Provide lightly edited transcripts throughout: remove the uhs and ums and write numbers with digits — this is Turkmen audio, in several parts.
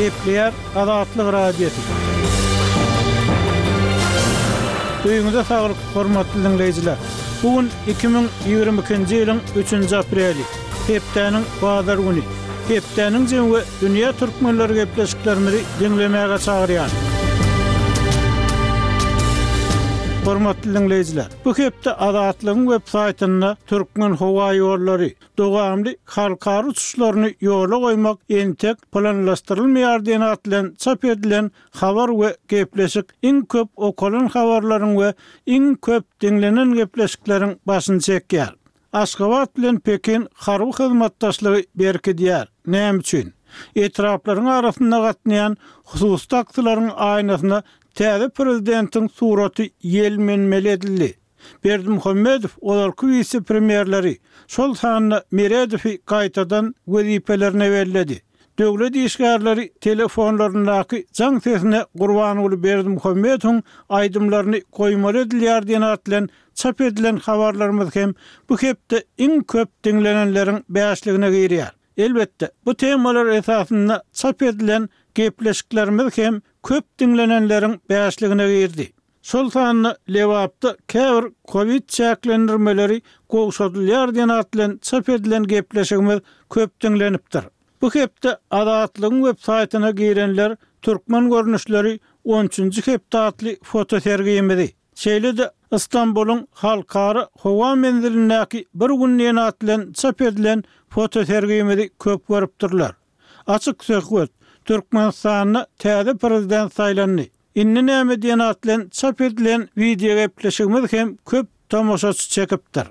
Gepleýär Azatlyk Radiosy. Öýüňize saglyk, hormatly diňleýjiler! Bu gün 2022-nji ýylyň üçünji apreli, hepdäniň bazar güni. Hepdäniň jemi we dünýä türkmenleri gepleşiklerimizi diňlemäge çagyrýar. Hormatly diňleýjiler, bu hepde Azatlygyň web saýtynda Türkmenhowaýollary, dowamly halkara uçuşlaryny ýola goýmak entek planlaşdyrylmaýar diýen at bilen çap edilen habar we gepleşik iň köp okalan habarlaryň we iň köp diňlenen gepleşikleriň başyny çekýär. Aşgabat bilen Pekin harby hyzmatdaşlygy berkidýär. Näme üçin? Etraplaryň arasynda gatnaýan hususy taksilaryň aýnasyna täze prezidentiň suraty ýelmenmeli edildi. Berdimuhamedow ozalky wise-premýerleri, şol sanda Meredowy gaýtadan wezipelerine belledi. Döwlet işgärleri telefonlaryndaky jaň sesine Gurbanguly Berdimuhamedowyň aýdymlaryny goýmaly edilýär diýen at bilen çap edilen habarlarymyz hem bu hepde iň köp diňlenenleriň bäşligine girýär. Elbetde, bu temalar esasynda çap edilen gepleşiklerimiz hem köp diňlenenleriň bäşligine girdi. Şol sanda Lebapda käbir kowid çäklendirmeleri gowşadylýar diýen at bilen çap edilen gepleşigimiz köp diňlenipdir. Bu hepde Azatlygyň web saýtyna girenler Türkmen görnüşleri on üçünji hepde atly fotosergimizi, şeýle-de Ystambulyň halkara howa menzilindäki bir gün diýen at bilen çap edilen fotosergimizi köp görüpdirler. Açyk söhbet, Türkmenistanda täze prezident saýlandy. Indi näme diýen at bilen çap edilen wideogepleşigimiz hem köp tomaşaçy çekipdir.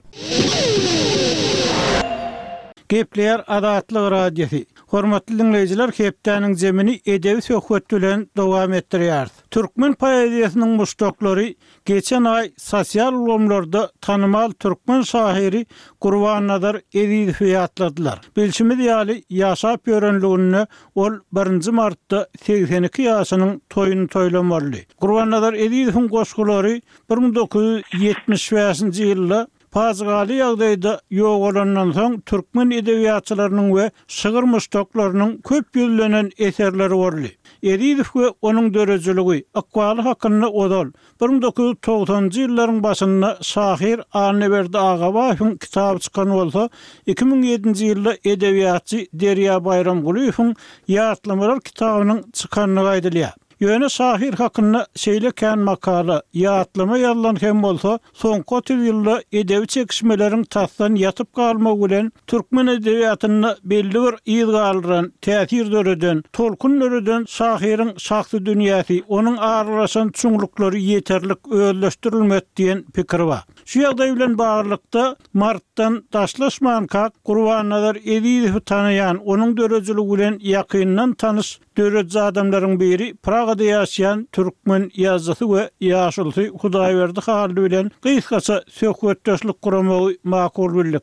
Gepleýär Azatlyk Radiosy. Hormatly diňleýjiler hepdäniň jemini edebi söhbet bilen dowam etdirýäris. Türkmen poeziýasynyň muşdaklary Geçen aý sosial ulgamlarda tanymal türkmen şahyry Gurbannazar Ezizowy ýatladylar. Bilşimiz ýaly, ýaşap ýörenliginde ol birinji martda 82 ýaşynyň toýuny toýlamalydy. Gurbannazar Ezizowyň goşgulary 1975-nji ýylda Pajygaly ýagdaýda ýogalandan soň türkmen edebiýatçylarynyň we şygyr muşdaklarynyň köp ýüzlenen eserleri boldy. Ezizow we onuň döredijiligi, ykbaly hakynda ozal, 1990-njy ýyllaryň başynda şahyr Annaberdi Agabaýewiň kitaby çykan bolsa, 2007-nji ýylda edebiýatçy Derýa Baýramgulyýewiň Ýatlamalar kitabynyň çykandygy aýdylýar. Ýöne şahyr hakynda şeýle kän makala, ýatlama ýazylan hem bolsa, soňky 30 ýylda edebi çekişmeleriň tasdan ýatyp galmagy bilen türkmen edebiýatynda belli bir yz galdyran, täsir döreden, tolkun döreden şahyryň şahsy dünýäsi, onuň aralaşan çuňluklary ýeterlik özleşdirilmedi diýen pikir bar. Şu ýagdaý bilen baglylykda, Martdan daşlaşmankak Gurbannazar Ezizowy tanaýan, onuň döredijiligi bilen ýakyndan tanyş Dörediji adamlaryň biri Pragada ýaşaýan türkmen ýazyjysy we ýaşulusy Hudaýberdi Hally bilen gysgaça söhbetdeşlik guramagy makul bildik.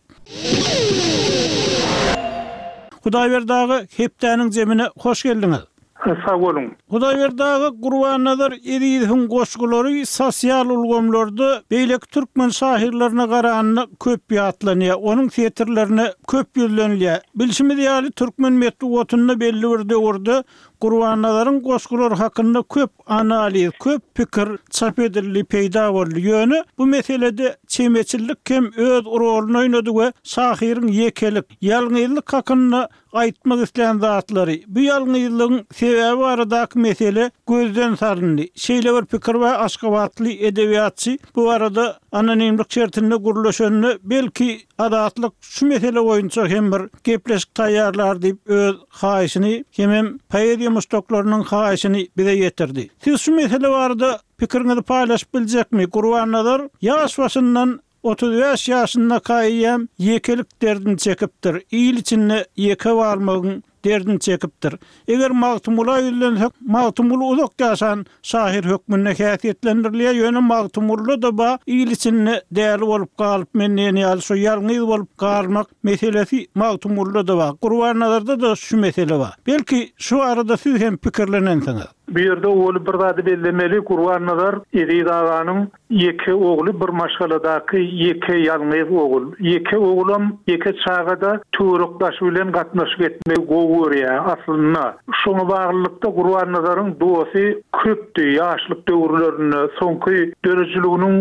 Hudaýberdi aga, hepdäniň jemine hoş geldiňiz! Sag boluň! Hudaýberdi aga, Gurbannazar Ezizowyň goşgulary sosial ulgamlarda beýleki türkmen şahyrlaryna garanda köp ýatlanýar, onuň setirlerine köp ýüzlenilýär. Bilşimiz ýaly, türkmen metbugatynda belli bir döwürde Gurbannazaryň goşgulary hakynda köp analiz, köp pikir çap edildi, peýda boldy. Ýöne bu meselede çemeçillik hem öz roluny oýnady we şahyryň ýekelik, ýalňyzlyk hakynda aýtmak islän zatlary, bu ýalňyzlygyň sebäbi baradaky mesele gözden salyndy. Şeýle bir pikir bar, aşgabatly edebiýatçy bu barada anonimlik şertinde gürleşende, belki, Azatlyk şu mesele boýunça hem bir gepleşik taýýarlar diýip öz haýyşyny hemem poeziýa muşdaklarynyň haýyşyny bize ýetirdi. Siz şu mesele barada pikiriňizi paýlaşyp biljekmi? Gurbannazar ýaş başyndan 35 ýaşyndaka eýýäm ýekelik derdini çekipdir, il içinde ýeke galmagyň derdini çekipdir. Eger Magtymgula ýüzlensek, Magtymguly uzak ýaşan şahyr hökmünde häsiýetlendirilýär, ýöne Magtymgulyda-da ba il içinde däli bolup galyp men diýen ýaly şo ýalňyz bolup galmak meselesi Magtymgulyda-da bar. Gurbannazarda-da şu mesele bar. Belki, şu barada siz hem pikirlenensiňiz. Bu ýerde owal bir zady bellemeli, Gurbannazar Eziz aganyň ýeke ogly, bir maşgaladaky ýeke ýalňyz ogul. Ýeke ogulam, ýeke çaga-da töwerek-daşy bilen gatnaşyk etmegi gowy görýär aslynda. Şoňa baglylykda Gurbannazaryň dosty köpdi ýaşlyk döwürlerinde, soňky döredijiliginiň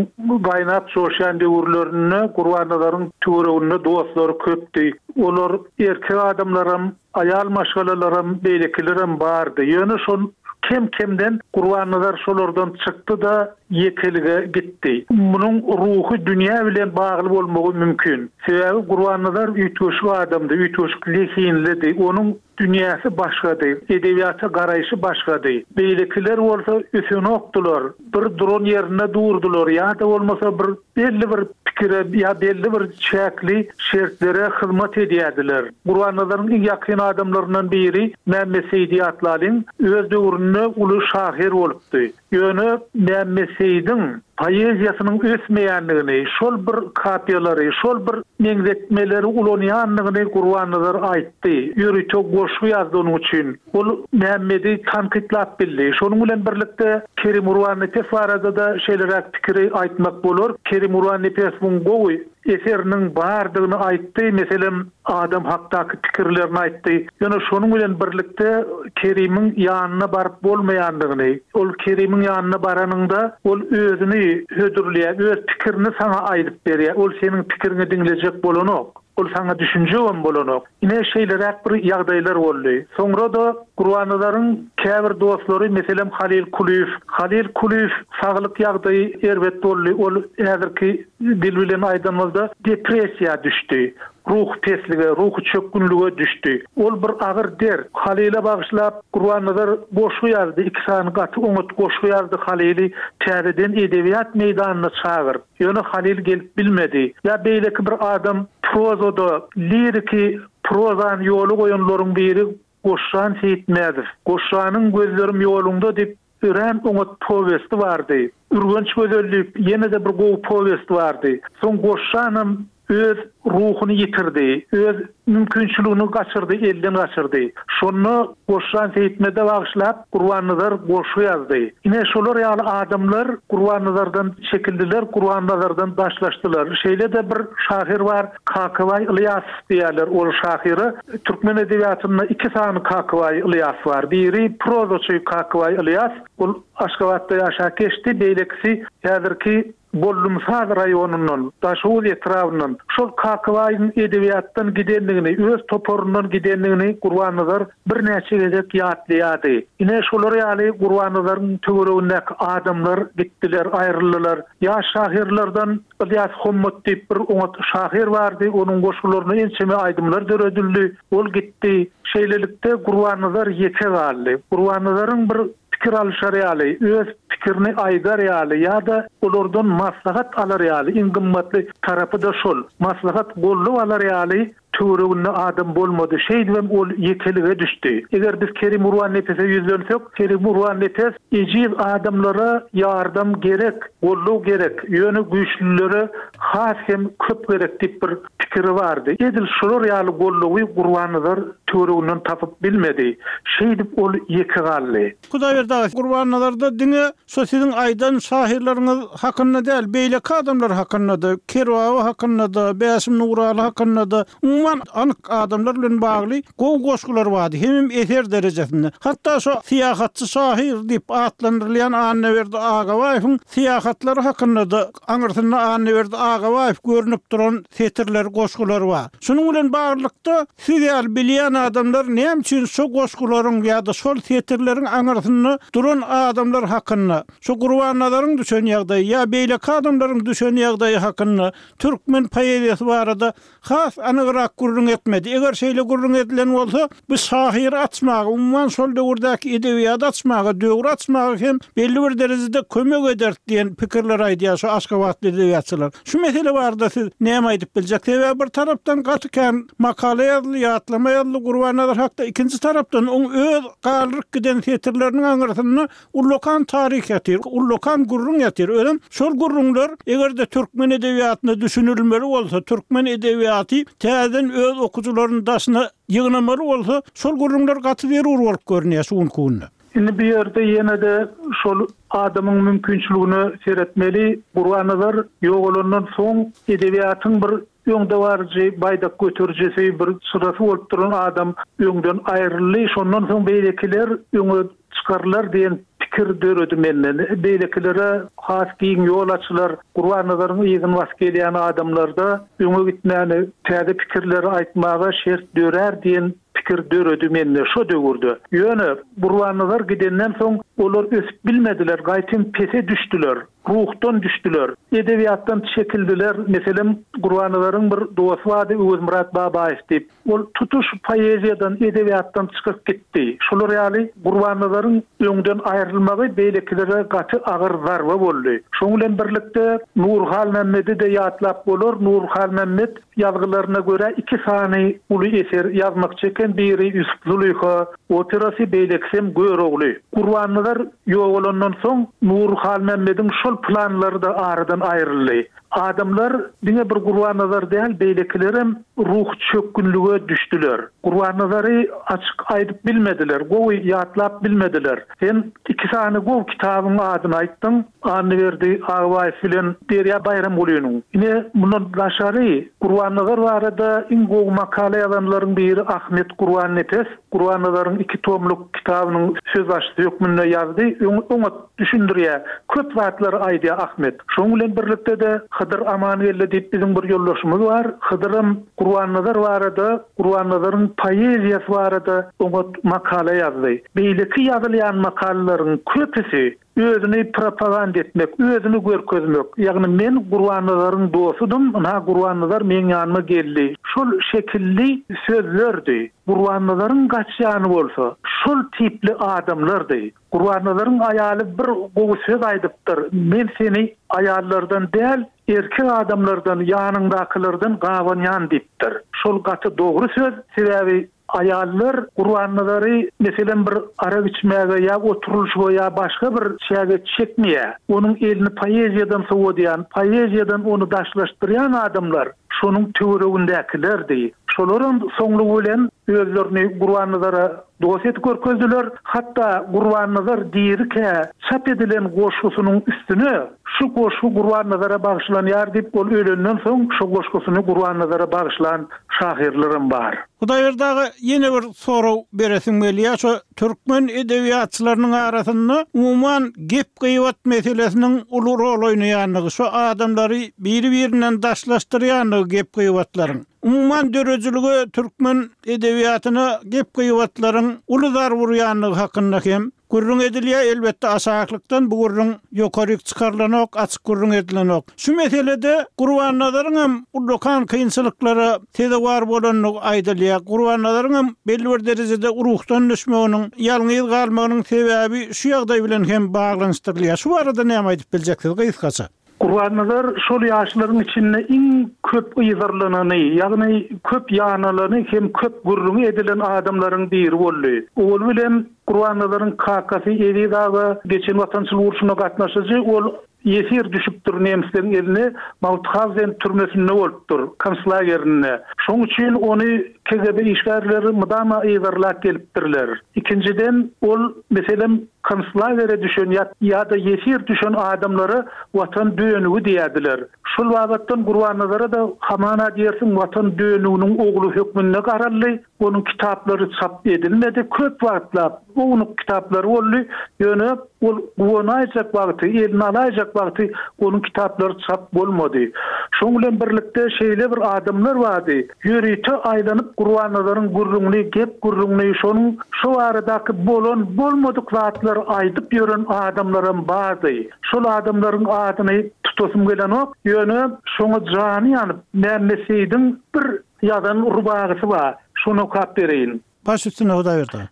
gaýnap joşýan döwürlerinde Gurbannazaryň töwereginde dostlary köpdi. Olar erkek adamlaram, Aýal maşgalalaram, beýlekilerem bardy. Ýöne şol kem-kemden Gurbannazar şolardan çykdy-da, ýekelige gitdi. Munuň ruhy dünýä bilen bagly bolmagy mümkin. Sebäbi Gurbannazar üýtgeşik adamdy, üýtgeşik zehinlidi. Onuň dünýäsi başgady, edebiýata garaýşy başgady. Beýlekiler bolsa ösenokdylar, bir duran ýerinde durdular ýa-da bolmasa bir belli bir pikire ýa belli bir çäkli şertlere hyzmat edýärdiler. Gurbannazaryň iň ýakyn adamlaryndan biri Mämmet Seýdi ýatlalyň, öz döwründe uly şahyr bolupdy. Ýöne Mämmet Seýdiň poeziýasynyň ösmeýändigini, şol bir kapiýalary, şol bir meňzetmeleri ulanýandygyny Gurbannazar aýtdy. Ýörite goşgy ýazdy onuň üçin. Ol Mämmedi tankytlap bildi. Şonuň bilen birlikde Kerim Gurbannepes barada-da şeýleräk pikiri aýtmak bolar. Kerim Gurbannepesowyň gowy eseriniň bardygyny aýtdy, meselem, adam hakdaky pikirlerini aýtdy. Ýöne şonuň bilen birlikde Kerimiň ýanyna baryp bolmaýandygyny, ol Kerimiň ýanyna baranyňda, ol özüni hödürleýär, öz pikirini saňa aýdyp berýär, ol seniň pikiriňi diňlejek bolanok. Ol saňa düşünjegem bolanok. Ine, şeýleräk bir ýagdaýlar boldy. Soňra-da Gurbannazaryň käbir dostlary, meselem, Halyl Kulyýew. Halyl Kulyýew saglyk ýagdaýy erbet boldy. Ol häzirki dil bilen aýdanymyzda depressiýa düşdi. Ruhy peslige, ruhy çökgünlige düşdi. Ol bir agyr dert. Halyla bagyşlap Gurbannazar goşgy ýazdy, iki sany gaty oňat goşgy ýazdy Halyly täzeden edebiýat meýdanyna çagyryp. Ýöne Halyl gelip bilmedi. Ýa beýleki bir adam prozada liriki prozany ýola goýanlaryň biri Goşjan Seýitmädow. Goşjanyň Gözlerim ýoluňda diýip örän oňat powesti bardy. Ürgenç gözeli diýip ýene-de bir gowy powesti bardy. Soň Goşjanam öz ruhuny ýitirdi, öz mümkinçiligini gaçyrdy, elden gaçyrdy. Şonda Goşjan Seýitmede bagyşlap Gurbannazar goşgy ýazdy. Ine, şolar ýaly adamlar Gurbannazardan çekildiler, Gurbannazardan daşlaşdylar. Şeýle-de bir şahyr bar, Kakabaý Ylýasow diýýärler ol şahyra. Türkmen edebiýatynda iki sany Kakabaý Ylýas bar. Biri prozaçy Kakabaý Ylýas, ol Aşgabatda ýaşap geçdi, beýlekisi häzirki Bollumsaz raýonyndan, Daşoguz etrabyndan şol Kakabaýyň edebiýatdan gidendigini, öz toparyndan gidendigini Gurbannazar birnäçe gezek ýatlaýardy. Ine, şolar ýaly Gurbannazaryň töweregindäki adamlar gitdiler, aýryldylar. Ýaş şahyrlardan Ylýas Hommat diýip bir oňat şahyr bardy, onuň goşgularyna ençeme aýdymlar döredildi. Ol gitdi. Şeýlelikde, Gurbannazar ýeke galdy. Gurbannazaryň bir pikir alyşar ýaly, öz pikirini aýdar ýaly ýa-da olardan maslahat alar ýaly, iň gymmatly tarapy-da şol, maslahat, goldaw alar ýaly töwereginde adam bolmady. Şeýdibem ol ýekelige düşdi. Eger biz Kerim Gurbannepese ýüzlensek, Kerim Gurbannepes ejiz adamlara ýardam gerek, goldaw gerek, ýöne güýçlülere has hem köp gerek diýip bir pikiri bardy. Edil şolar ýaly goldawy Gurbannazar töwereginden tapyp bilmedi. Şeýdip ol ýeke galdy. Hudaýberdi aga, Gurbannazarda diňe şo siziň aýdan şahyrlaryňyz hakynda däl, beýleki adamlar hakynda-da, Kerbaba hakynda-da, Bäşim Nuraly hakynda-da, umuman anyk adamlar bilen bagly gowy goşgular bardy, hemem eser derejesinde. Hatda şo syýahatçy şahyr diýip atlandyrylýan Annaberdi Agabaýewiň syýahatlary hakynda-da aňyrsynda Annaberdi Agabaýew görnüp duran setirler, goşgular bar. Şunuň bilen baglylykda, siz ýaly bilýän adamlar näme üçin şo goşgularyň ýa-da şol setirleriň aňyrsynda duran adamlar hakynda, şo Gurbannazaryň düşen ýagdaýy ýa beýleki adamlaryň düşen ýagdaýy hakynda, türkmen poeziýasy barada Has anygrak gürrüň etmedi. Eger şeýle gürrüň edilen bolsa, bu şahyry açmaga, umuman şol döwürdäki edebiýaty açmaga, döwri açmaga hem belli bir derejede kömek ederdi diýen pikirleri aýdýar şu aşgabatly edebiýatçylar. Şu mesele barada siz näme aýdyp biljek? Sebäbi bir tarapdan gaty kän makala ýazyldy, ýatlama ýazyldy Gurbannazar hakda, ikinji tarapdan oň öz galdyryp giden setirleriniň aňyrsynda Ullakan taryh ýatyr, ullakan gürrüň ýatyr. Özem şol gürrüňler eger-de türkmen edebiýatyna düşünilmeli bolsa, türkmen edebiýaty täzeden öz okyjylaryny daşyna ýygnamaly bolsa, şol gürrüňler gaty zerur bolup görünýär şu günki günde. Indi bu ýerde ýene-de şol adamyň mümkinçiligine seretmeli. Gurbannazar ýogalandan soň edebiýatyň bir öňdebaryjy baýdak göterijisi, bir çyrasy bolup duran adam öňden aýryldy. Şondan soň beýlekiler öňe çykarylar diýen pikir döredi mende. Beýlekilere has giň ýol açylar. Gurbannazaryň yzyny basyp gelýän adamlarda öňe gitmäne, täze pikirleri aýtmaga şert dörär diýen pikir döredi mende şo döwürde. Ýöne Gurbannazar gidenden soň olar ösüp bilmediler, gaýtym pese düşdüler, ruhdan düşdüler, edebiýatdan çekildiler. Meselem, Gurbannazaryň bir dosty bardy Öwezmyrat Babaýew diýip. Ol tutuş poeziýadan, edebiýatdan çykyp gitdi. Şolar ýaly Gurbannazaryň öňden aýrylmagy beýlekilere gaty agyr zarba boldy. Şoň bilen birlikde Nury Halmämmedi-de ýatlap bolar. Nury Halmämmet Ýazgylaryna görä iki sany uly eser ýazmakçy eken, biri Ýusup-Zulyha operasy, beýlekisem Görogly. Gurbannazar ýogalandan soň Nury Halmämmediň şol planlary-da aradan aýryldy. Adamlar, diňe bir Gurbannazar däl, beýlekilerem ruhy çökgünlige düşdüler. Gurbannazary açyk aýdyp bilmediler, gowy ýatlap bilmediler. Sen iki sany gowy kitabyň adyny aýtdyň. Annaberdi Agbaýew bilen Derýa Baýramgulynyň. Ine, mundan daşary, Gurbannazar barada iň gowy makala ýazanlaryň biri Ahmet Gurbannepes Gurbannazaryň iki tomluk kitabynyň sözbaşysy hökmünde ýazdy. Öň oňat düşündirýär. Köp zatlary aýdýar Ahmet. Şonuň bilen birlikde-de Hydyr Amangeldi diýip biziň bir ýoldaşymyz bar. Hydyram Gurbannazar barada, Gurbannazaryň poeziýasy barada oňat makala ýazdy. Beýleki ýazylýan makalalaryň köpüsi Özüni propaganda etmek, özüni görkezmek, ýagny men Gurbannazaryň dostudym, ynha Gurbannazar meň ýanyma geldi. Şol şekilli sözlerdi. Gurbannazaryň gaçýany bolsa, şol tipli adamlardy. Gurbannazaryň aýaly bir gowy söz aýdypdyr, Men seni aýallardan däl, erkek adamlardan, ýanyňdakylardan gabanýan diýipdir. Şol gaty dogry söz, sebäbi Aýallar Gurbannazary, meselem, bir arak içmäge ýa oturylyşyga ýa başga bir çäge çekmeýär. Onuň elini poeziýadan sowadýan, poeziýadan ony daşlaşdyrýan adamlar şonuň töweregindäkilerdi. Şolaram soňlugy bilen özlerini Gurbannazara dost edip görkezdiler. Hatda Gurbannazar dirikä çap edilen goşgusynyň üstüne Şu goşgy Gurbannazara bagyşlanýar diýip, ol ölenden soň şo goşgusyny Gurbannazara bagyşlan şahyrlaram bar. Hudaýberdi aga ýene bir sorag beresim gelýär şo türkmen edebiýatçylarynyň arasynda umuman gep gybat meselesiniň uly rol oýnaýandygy şo adamlary biri birinden daşlaşdyrýandygy gep gybatlaryň umuman döredijilige türkmen edebiýatyna gep gybatlaryň uly zarba urýandygy hakynda hem Gürrüň edilýär, elbetde aşaklykdan bu gürrüň ýokaryk çykarylanok, açyk gürrüň edilenok. Şu meselede Gurbannazaryň hem ullakan kynçylyklara sezewar bolandygy aýdylýar. Gurbannazaryň hem belli bir derejede ruhdan düşmeginiň, ýalňyz galmagynyň sebäbi şu ýagdaý bilen hem baglanyşdyrylýar. Şu barada näme aýdyp biljeksiz gysgaça? Gurbannazar şol ýaşlaryň içinde iň köp yzarlanany, ýagny köp ýanalany hem köp gürrüňi edilen adamlaryň biri boldy. Owaly bilen Gurbannazaryň kakasy Eziz aga geçen Watançylyk urşuna gatnaşyjy, ol ýesir düşüpdir nemisleň eline, Mauthauzen türmesinde bolupdyr, konslagerinde. Şoň üçin ony KGB işgärleri mydama yzarlap gelipdirler. Ikinjiden, ol, meselem, Konslagere düşen ýa-da ýesir düşen adamlara Watan dönügi diýerdiler. Şol babatdan Gurbannazara-da hamana diýersiň Watan dönüginiň ogly hökmünde garaldy. Onuň kitaplary çap edilmedi. Köp wagtlap ownuk kitaplary boldy. Ýöne ol guwanaýjak wagty, eline alaýjak wagty onuň kitaplary çap bolmady. Şoň bilen birlikde şeýle bir adamlar bardy. Ýörite aýlanyp Gurbannazaryň gürrüňini, gep-gürrüňini, şonuň şo baradaky bolan, bolmadyk zatlary aýdyp ýören adamlaram bardy. Şol adamlaryň adyny tutasym gelenok, ýöne şoňa jany ýanyp, Mämmet Seýidiň bir ýazan rubagysy bar, şony okap bereýin. Baş üstüne Hudaýberdi aga.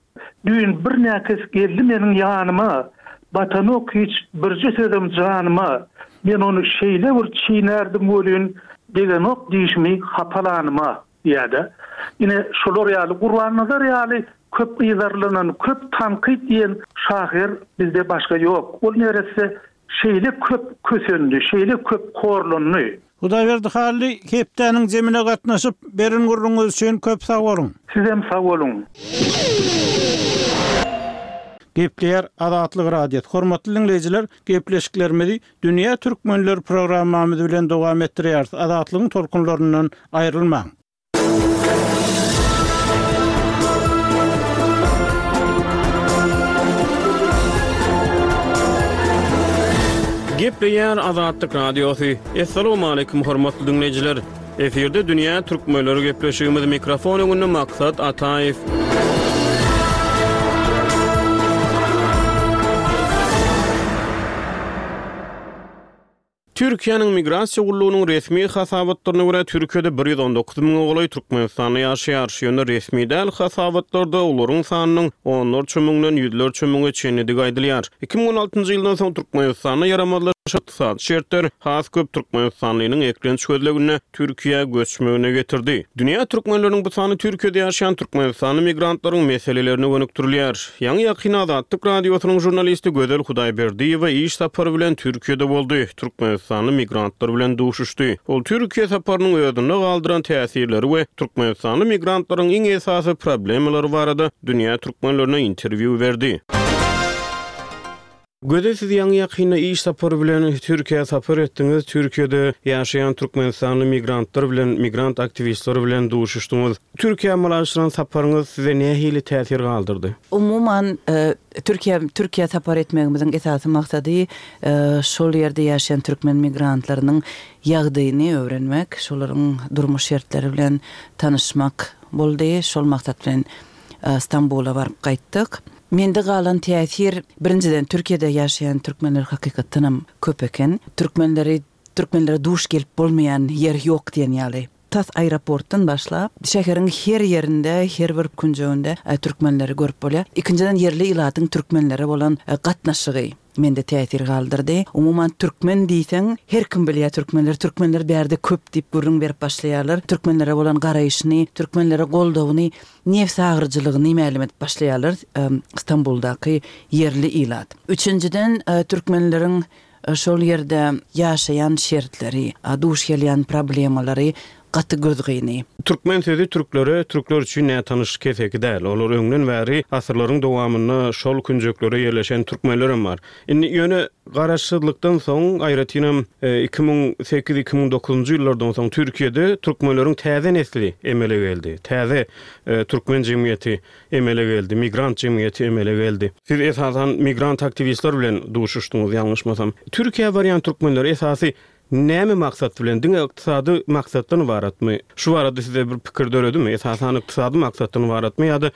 Düýn bir näkes geldi meniň ýanyma, Batanok hiç birje sözem janyma. Men ony şeýle bir çeýnärdim welin, Degenok dişimi hapalanyma diýýär-de. Ine, şolar ýaly, Gurbannazar ýaly köp yzarlanan, köp tankyt iýen şahyr bizde başga ýok. Ol neresse şeýle köp kösendi, şeýle köp horlandy. Hudaýberdi Hally hepdäniň jemine gatnaşyp, beren gürrüňiňiz üçin köp sag boluň! Sizem sag boluň! Gepleýär Azatlyk Radiosy. Hormatly diňleýjiler, gepleşiklerimizi Dünýä Türkmenleri programmamyz bilen dowam etdirýäris. Azatlygyň tolkunlaryndan aýrylmaň. Gepleýär Azatlyk Radiosy. Assalamualaikum hormatly diňleýjiler. Efirde dünýä türkmenleri gepleşigimiz mikrofon öňünde Maksat Ataýew. Türkiýäniň Migrasiýa gullugynyň resmi hasabatlaryna görä, Türkiýede 119 müňe golaý türkmenistanly ýaşaýar. Ýöne resmi däl hasabatlarda olaryň sanynyň onlarça müňden ýüzlerçe müňe çenlidigi aýdylýar. 2016-njy ýyldan soň Türkmenistanda ýaramazlaşan ykdysady şertler has köp türkmenistanlynyň eklenç gözleginde Türkiýä göçmegine getirdi. Dünýä türkmenleriniň bu sany Türkiýede ýaşaýan türkmenistanly migrantlaryň meselelerine gönükdirilýär. Ýaňy-ýakynda Azatlyk Radiosynyň žurnalisti Gözel Hudaýberdiýewa iş sapary bilen Türkiýede boldy, türkmenistanly migrantlar bilen duşuşdy. Ol Türkiýe saparynyň özünde galdyran täsirleri we türkmenistanly migrantlaryň iň esasy problemalary barada dünýä türkmenlerine interwýu berdi. Gözel siz ýaňy-ýakynda iş sapary bilen Türkiýä sapar etdiňiz, Türkiýede ýaşaýan türkmenistanly migrantlar bilen, migrant aktiwistleri bilen duşuşdyňyz. Türkiýä amala aşyran saparyňyz size nähili täsir galdyrdy? Umuman, Türkiýä Türkiýä sapar etmegimiziň esasy maksady şol ýerde ýaşaýan türkmen migrantlarynyň ýagdaýyny öwrenmek, şolaryň durmuş şertleri bilen tanyşmak boldy. Şol maksat bilen Stambula baryp gaýtdyk. Mende galan täsir, birinjiden, Türkiýede ýaşaýan türkmenler hakykatdanam köp eken. Türkmenleri, türkmenlere duş gelip bolmaýan ýer ýok diýen ýaly. Tas aeroportdan başlap, şäheriň her ýerinde, her bir künjeginde türkmenleri görüp bolýar. Ikinjiden, ýerli ilatyň türkmenlere bolan gatnaşygy mende täsir galdyrdy. Umuman, türkmen diýseň, her kim bilýär türkmenleri, türkmenler bärde köp diýip gürrüň berip başlaýarlar. Türkmenlere bolan garaýşyny, türkmenlere goldawyny nebsagyryjylygyny mälim edip başlaýarlar Stambuldaky ýerli ilat. Üçünjiden, türkmenleriň şol ýerde ýaşaýan şertleri, duş gelýän problemalary gaty gözgyny. Türkmen sözi türklere, türkler üçin nätanyş keseki däl. Olar öňden bäri asyrlaryň dowamynda şol künjeklere ýerleşen türkmenlerem bar. Indi ýöne garaşsyzlykdan soň, aýratynam 2008, 2009-njy ýyllardan soň Türkiýede türkmenleriň täze nesli emele geldi. Täze türkmen jemgyýeti emele geldi, migrant jemgyýeti emele geldi. Siz esasan migrant aktiwistler bilen duşuşdyňyz ýalňyşmasam. Türkiýä barýan türkmenler esasy näme maksat bilen, diňe ykdysady maksatdan ybaratmy? Şu barada size bir pikir döredimi? Esasan ykdysady maksatdan ybaratmy ýa-da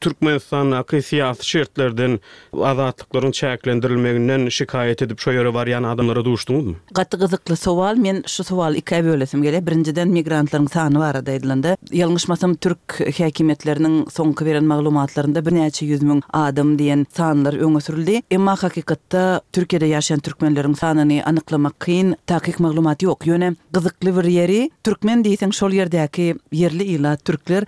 Türkmenistandaky syýasy şertlerden, azatlyklaryň çäklendirilmeginden şikaýat edip şo ýere barýan adamlara duşduňyzmy? Gaty gyzykly sowal. Men şu sowaly ikä bölesim gelýär. Birinjiden migrantlaryň sany barada aýdylanda, ýalňyşmasam türk häkimiýetleriniň soňky beren maglumatlarynda birnäçe ýüz müň adam diýen sanlar öňe sürüldi. Emma hakykatda Türkiýede ýaşaýan türkmenleriň sanyny anyklamak kyn, takyk maglumat ýok. Ýöne gyzykly bir ýeri, türkmen diýseň şol ýerdäki ýerli ilat, türkler,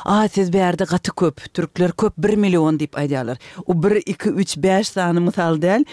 A, siz bärde gaty köp, türkler köp, bir million diýip aýdýarlar. O bir, iki, üç, bäş sany mysal däl.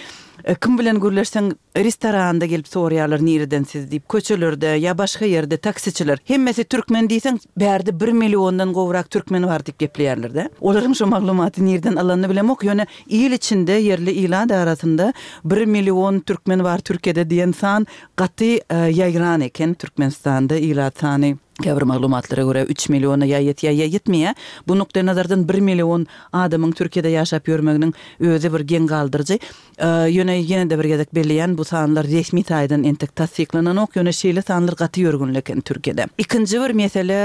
Kim bilen gürleşseň, Restoranda gelip soraýarlar nireden siz diýip, köçelerde ýa başga ýerde taksiçiler. Hemmesi türkmen diýseň, bärde bir milliondan gowrak türkmen bar diýip gepleýärler-de. Olaryň şo maglumaty nirden alanyny bilemok, ýöne il içinde, ýerli ilat arasynda bir million türkmen bar Türkiýede diýen san gaty ýaýran eken. Türkmenistanda ilat sany käbir maglumatlara görä üç milliona ýa ýetýär, ýa ýetmeýär. Bu nukdaýnazardan bir million adamyň Türkiýede ýaşap ýörmeginiň özi bir geň galdyryjy. Ýöne ýene-de bir gezek belleýän, bu sanlar resmi taýdan entek tassyklananok, ýöne şeýle sanlar gaty ýörgünli eken Türkiýede. Ikinji bir mesele,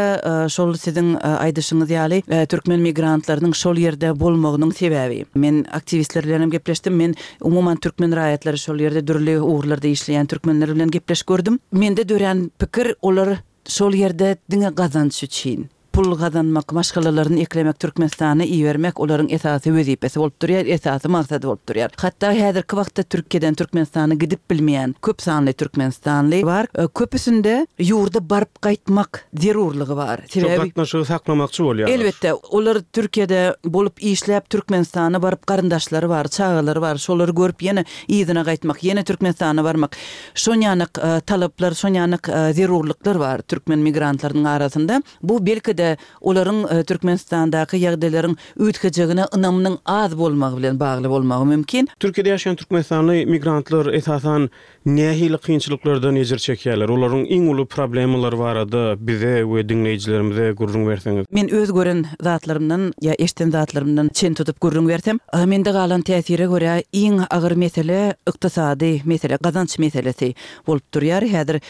şol siziň aýdyşyňyz ýaly, türkmen migrantlarynyň şol ýerde bolmagynyň sebäbi. Men aktiwistler bilen hem gepleşdim, men umuman türkmen raýatlary şol ýerde dürli ugurlarda işleýän türkmenler bilen gepleşip gördüm. Mende dörän pikir, olar şol ýerde diňe gazanç üçin. Pul gazanmak, maşgalalaryny eklemek, Türkmenistana ibermek olaryň esasy wezipesi bolup durýar, esasy maksady bolup durýar. Hatda häzirki wagtda Türkiýeden Türkmenistana gidip bilmeýän köp sanly türkmenistanly bar. Köpüsinde ýurda baryp gaýtmak zerurlygy bar. Şo gatnaşygy saklamakçy bolýarlar. Elbetde, olar Türkiýede bolup işläp Türkmenistana baryp garyndaşlary bar, çagalary bar, şolary görüp ýene yzyna gaýtmak, ýene Türkmenistana barmak. Şonýanak talaplar, şonýanak zerurlyklar bar türkmen migrantlarynyň arasynda. Bu belki-de. Belki-de, olaryň Türkmenistandaky ýagdaýlaryň üýtgejegine ynamynyň az bolmagy bilen bagly bolmagy mümkin. Türkiýede ýaşaýan türkmenistanly migrantlar, esasan, nähili kynçylyklardan ejir çekýärler? Olaryň iň uly problemalary barada bize we diňleýjilerimize gürrüň berseňiz. Men öz gören zatlarymdan ýa eşden zatlarymdan çen tutup gürrüň bersem, mende galan täsire görä iň agyr mesele ykdysady mesele, gazanç meselesi bolup durýar häzir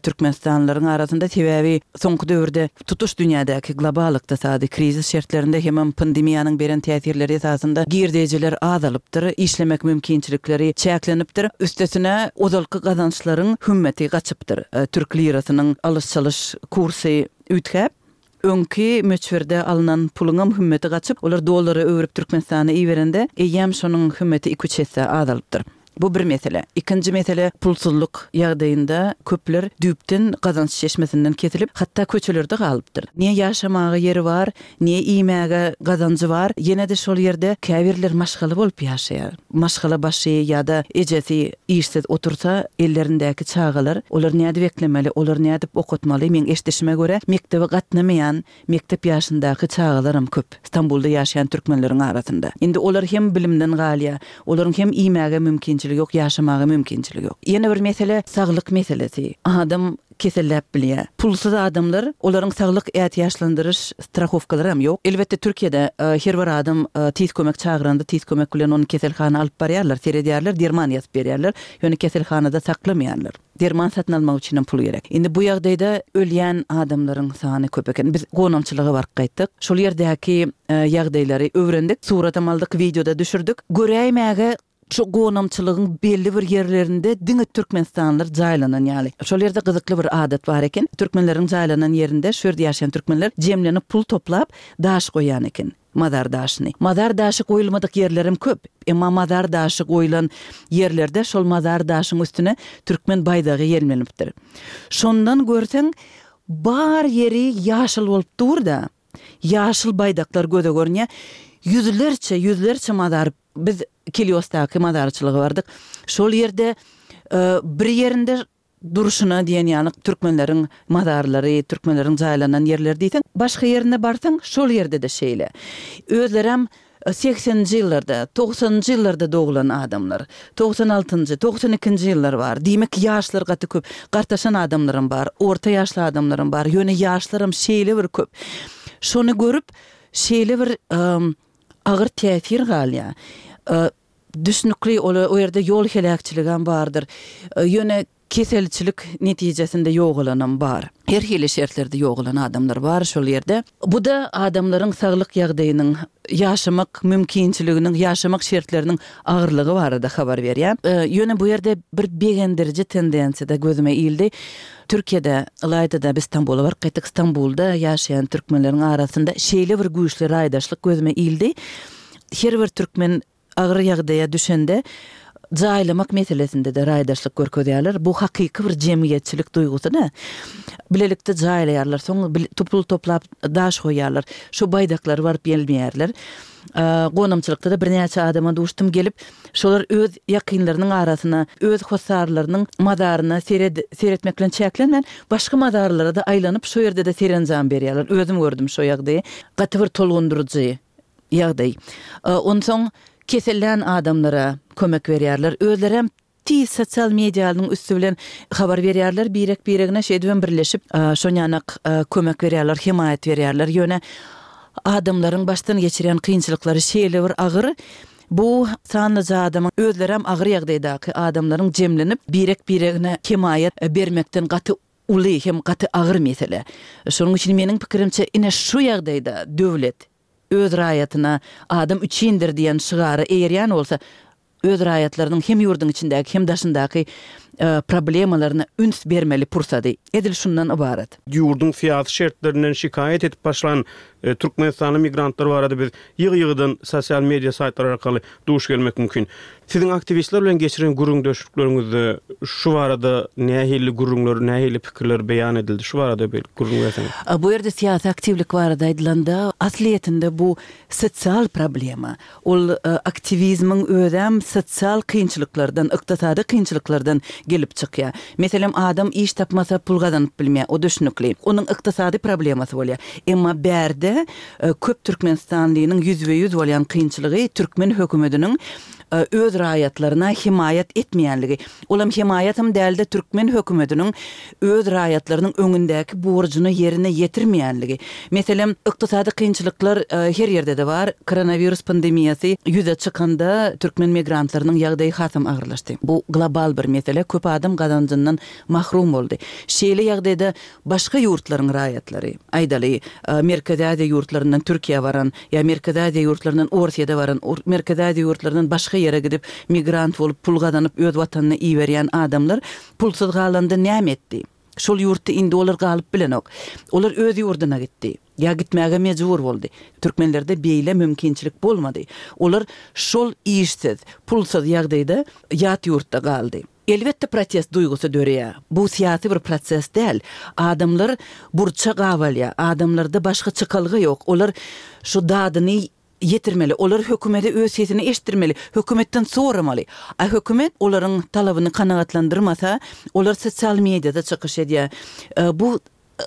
türkmenistanlylaryň arasynda. Sebäbi soňky döwürde Tutuş dünýädäki global ykdysady krizis şertlerinde hemem pandemiýanyň beren täsirleri esasynda girdejiler azalypdyr, işlemek mümkinçilikleri çäklenipdir, üstesine ozalky gazançlaryň hümmeti gaçypdyr. Türk lirasynyň alyş-çalyş kursy üýtgäp, öňki möçberde alnan puluňam hümmeti gaçyp, olar dollara öwrüp Türkmenistana iberende, eýýäm şonuň hümmeti iki-üç esse azalypdyr. Bu bir mesele. Ikinji mesele pulsuzlyk ýagdaýynda köpler düýpden gazanç çeşmesinden kesilip, hatda köçelerde galypdyr. Ne ýaşamaga ýeri bar, ne iýmäge gazanjy bar, ýene-de şol ýerde käbirler maşgala bolup ýaşaýar. Maşgala başy ýa-da ejesi işsiz otursa, ellerindäki çagalar, olary nädip eklemeli, olary nädip okatmaly, meň eşidişime görä, mekdebe gatnamaýan Mekdep ýaşyndaky çagalaram köp Stambulda ýaşaýan türkmenleriň arasynda. Indi olar hem bilimden galýar. Olaryň hem iýmäge mümkinçiligi ýok, ýaşamaga mümkinçiligi ýok. Ýene bir mesele saglyk meselesi. Adam keselläp bilýär. Pulsuz adamlar, olaryň saglyk ätiýaçlandyryş strahowkalaram ýok. Elbetde Türkiýede her bir adam tiz kömek çagyranda tiz kömek bilen ony keselhana alyp barýarlar, seredýärler, derman ýazyp berýärler. Ýöne keselhanada saklamaýarlar. Derman satyn almak üçinem pul gerek. Indi bu ýagdaýda ölýän adamlaryň sany köp eken. Biz gonamçylyga baryp gaýtdyk. Şol ýerdäki ýagdaýlary öwrendik. Suratam aldyk, wideo-da düşürdik. Göräýmäge şu gonamçylygyň belli bir ýerlerinde diňe türkmenistanlylar jaýlanan ýaly. Şol ýerde gyzykly bir adat bar eken. Türkmenleriň jaýlanan ýerinde şu ýerde ýaşaýan türkmenler jemlenip pul toplap, daş goýýan eken. Mazar daşyny. Mazar daşy goýulmadyk ýerlerem köp. Emma mazar daşy goýlan ýerlerde şol mazar daşyň üstüne türkmen baýdagy ýelmenipdir. Şondan görseň, bar ýeri ýaşyl bolup dur-da. Ýaşyl baýdaklar göze görünýär. Ýüzlerçe, ýüzlerçe mazar. Biz Kiliosdaky mazarçylyga bardyk. Şol ýerde bir ýerinde Durşuna diýen ýaly türkmenleriň mazarlary, türkmenleriň jaýlanan ýerleri diýseň, başga ýerine barsaň, şol ýerde-de şeýle. Özlerem segseninji ýyllarda, togsanynjy ýyllarda doglan adamlar. 96 altynjy, 92 nji ýyllar bar. Diýmek, ýaşlar gaty köp. Gartaşan adamlaram bar, orta ýaşly adamlaram bar. Ýöne ýaşlaram şeýle bir köp. Şony görüp, şeýle bir agyr täsir galýar. Düşnükli, ol o ýerde ýol heläkçiligem bardyr. Ýöne keselçilik netijesinde ýogalanam bar. Her hili şertlerde ýogalan adamlar bar şol ýerde. Bu-da adamlaryň saglyk ýagdaýynyň, ýaşamak mümkinçiliginiň, ýaşamak şertleriniň agyrlygy barada habar berýär. Ýöne bu ýerde bir begendiriji tendensiýa-da gözüme ildi. Türkiýede, ylaýta-da biz Stambula baryp gaýtdyk, Stambulda ýaşaýan türkmenleriň arasynda şeýle bir güýçli raýdaşlyk gözüme ildi. Her bir türkmen agyr ýagdaýa düşende jaýlamak meselesinde-de raýdaşlyk görkezýärler. Bu hakyky bir jemgyýetçilik duýgusy-da. Bilelikde jaýlaýarlar, soň pul toplap daş goýýarlar. Şu baýdaklary baryp ýelmeýärler. Gonamçylykda-da birnäçe adama duşdum, gelip, şolar öz ýakynlarynyň arasyna, öz hossarlarynyň mazaryna sered seretmek bilen çäklenmän, başga mazarlara-da aýlanyp, şo ýerde-de serenjam berýärler. Özüm gördüm şo ýagdaýy. Gaty bir tolgundyryjy. ýagdaý. Onsoň kesellän adamlara kömek berýärler. Özlerem tiz sosial medianyň üsti bilen habar berýärler birek-biregine, şeýdibem birleşip, şonýanak kömek berýärler, hemaýat berýärler. Ýöne adamlaryň başdan geçirýän kynçylyklary şeýle bir agyr, bu sanlyja adamyň, özlerem agyr ýagdaýdaky adamlaryň jemlenip, birek-biregine hemaýat bermekden gaty uly hem gaty agyr mesele. Şonuň üçin meniň pikirimçe ine şu ýagdaýda döwlet öz raýatyna adam üçindir diýen şygara eýerýän bolsa, öz raýatlarynyň hem ýurduň içindäki hem daşyndaky problemalaryna üns bermeli pursady edil şundan ybarat. Ýurduň syýasy şertlerinden şikaýat edip başlan türkmenistanly migrantlar barada biz ýygy-ýygydan sosial media saýtlary arkaly duş gelmek mümkin. Siziň aktiwistler bilen geçiren gürrüňdeşlikleriňizde şu barada nähili gürrüňler, nähili pikirler beýan edildi? Şu barada bir gürrüň berseňiz. Bu ýerde syýasy aktiwlik barada aýdylanda, aslyýetinde bu sosial problema. Ol aktiwizmiň özem sosial kynçylyklardan, ykdysady kynçylyklardan gelip çykýar. Meselem, adam iş tapmasa pul gazanyp bilmeýär, o düşnükli. Onuň ykdysady problemasy bolýar. Emma bärde köp türkmenistanlynyň ýüzbe-ýüz bolýan kynçylygy türkmen hökümetiniň öz raýatlaryna hemaýat etmeýänligi. Olam hemaýatam däl-de türkmen hökümetiniň öz raýatlarynyň öňündäki borjuny ýerine ýetirmeýänligi. Meselem, ykdysady kynçylyklar her ýerde-de bar. Koronawirus pandemiýasy ýüze çykanda türkmen migrantlarynyň ýagdaýy hasam agyrlaşdy. Bu global bir mesele, köp adam gazanjyndan mahrum boldy. Şeýle ýagdaýda başga ýurtlaryň raýatlary, aýdaly, Merkezi Aziýa ýurtlaryndan Türkiýä baran ýa Merkezi Aziýa ýurtlaryndan Orsýede baran, Merkezi Aziýa ýurtlaryndan başga ýere gidip migrant bolup pul gazanyp öz watanyna iberýän adamlar pulsuz galanda näme etdi? Şol ýurtda indi olar galyp bilenok. Olar öz ýurduna gitdi. Ýa gitmäge mejbur boldy. Türkmenlerde beýle mümkinçilik bolmady. Olar şol işsiz, pulsuz ýagdaýda ýat ýurtda galdy. Elbetde protest duýgusy döreýär. Bu syýasy bir proses däl. Adamlar burça gabalýar. Adamlarda başga çykalga ýok. Olar şu dadyny ýetirmeli. Olar hökümete öz sesini eşitdirmeli. Hökümetden soramaly. A hökümet olaryň talabyny kanagatlandyrmasa, olar sosial mediada çykyş edýär. Bu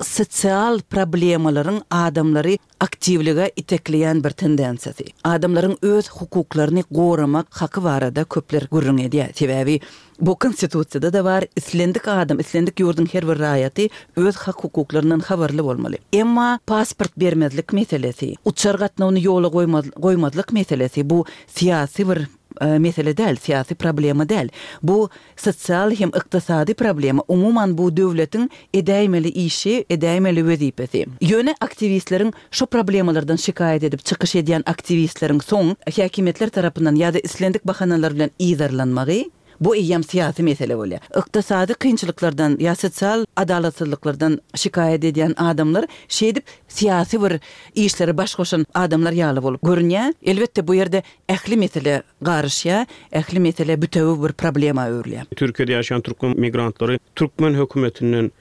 sosial problemalaryň adamlary aktiwlige itekleýän bir tendensiýasy. Adamlaryň öz hukuklaryny goramak haky barada köpler gürrüň edýär. Sebäbi bu Konstitusiýada-da bar, islendik adam, islendik ýurduň her bir raýaty öz hak-hukuklaryndan habarly bolmaly. Emma pasport bermezlik meselesi, uçar gatnawyny ýola goýmazlyk meselesi bu syýasy bir mesele däl, syýasy problema däl. Bu sosial hem ykdysady problema, umuman bu döwletiň edäýmeli işi, edäýmeli wezipesi. Ýöne aktiwistleriň şu problemalardan şikaýat edip çykyş edýän aktiwistleriň soň häkimiýetler tarapyndan ýa-da islendik bahanalar bilen yzarlanmagy, bu eýýäm syýasy mesele bolýar. Ykdysady kynçylyklardan ýa sosial adalatsyzlyklardan şikaýat edýän adamlar şeýdip syýasy bir işlere baş goşan adamlar ýaly bolup görünýär. Elbetde bu ýerde ähli mesele garyşýar, ähli mesele bütewi bir problema öwrülýär. Türkiýede ýaşaýan türkmen migrantlary türkmen hökümetinden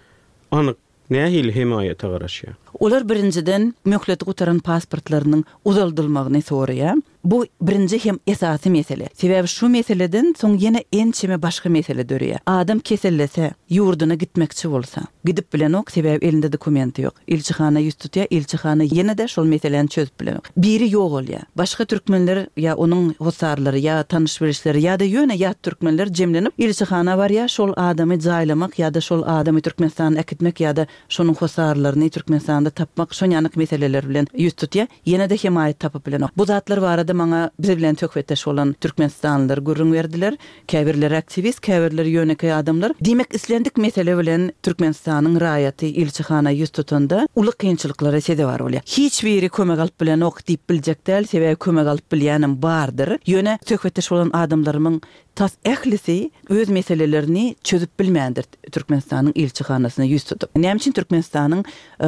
anyk nähili hemaýata garaşýar? Olar birinjiden, möhleti gutaran pasportlarynyň uzaldylmagyny soraýar. Bu birinji hem esasy mesele. Sebäbi şu meseleden soň ýene ençeme başga mesele döreýär. Adam kesellese, ýurduna gitmekçi bolsa, gidip bilenok, sebäbi elinde dokumenti ýok. Ilçihana ýüz tutýar, ilçihana ýene-de şol meseläni çözüp bilenok. Biri ýogalýar. Başga türkmenler ýa onuň hossarlary, ýa tanyş-bilişleri ýa-da ýöne ýat türkmenler jemlenip ilçihana barýar, şol adamy jaýlamak ýa-da şol adamy Türkmenistana äkitmek ýa-da şonuň hossarlaryny Türkmenistanda tapmak şonýanak meseleler bilen ýüz tutýar. Ýene-de hemaýat tapyp bilenok. Bu zatlar barada maňa biz bilen söhbetdeş bolan türkmenistanlylar gürrüň berdiler. Käbirleri aktiwist, käbirleri ýönekeý adamlar. Diýmek, islendik mesele bilen Türkmenistanyň raýaty ilçihana ýüz tutanda uly kynçylyklara sezewar bolýar. Hiç biri kömek alyp bilenok diýip biljek däl, sebäbi kömek alyp bilýänem bardyr. Ýöne söhbetdeş bolan adamlarymyň tas ählisi öz meselelerini çözüp bilmändir Türkmenistanyň ilçihanasyna ýüz tutup. Näme üçin Türkmenistanyň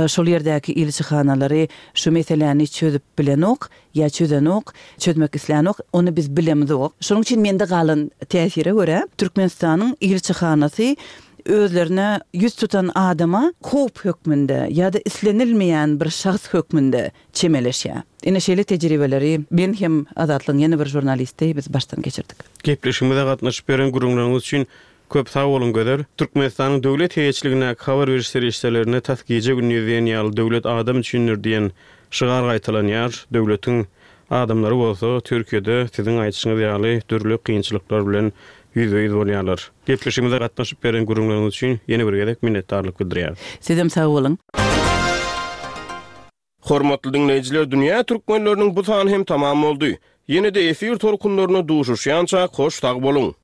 şol ýerdäki ilçihanalary şu meseläni çözüp bilenok? Ýa çözenok, çözmek islänok, ony biz bilemzok. Şonuň üçin mende galan täsire görä, Türkmenistanyň ilçihanasy özlerine ýüz tutan adama howp hökmünde ýa-da islenilmeýän bir şahs hökmünde çemeleşýär. Ine şeýle tejribeleri men hem Azatlygyň ýene bir žurnalisti biz başdan geçirdik. Gepleşigimize gatnaşyp beren gürrüňleriňiz üçin Köp sag boluň Gözel. Türkmenistanyň döwlet eýeçiligindäki habar beriş serişdelerinde tas gije-gündiz diýen ýaly Döwlet adam üçindir diýen şygar gaýtalanýar. Döwletiň adamlary bolsa Türkiýede siziň aýdyşyňyz ýaly dürli kynçylyklar bilen ýüzbe-ýüz bolýarlar. Gepleşigimize gatnaşyp beren gürrüňleriňiz üçin ýene bir gezek minnetdarlyk bildirýäris. Sizem sag boluň. Hormatly diňleýjiler dünýä türkmenleriniň bu sany hem tamam boldy. Ýene-de efir tolkunlarynda duşuşýançak hoş sag boluň.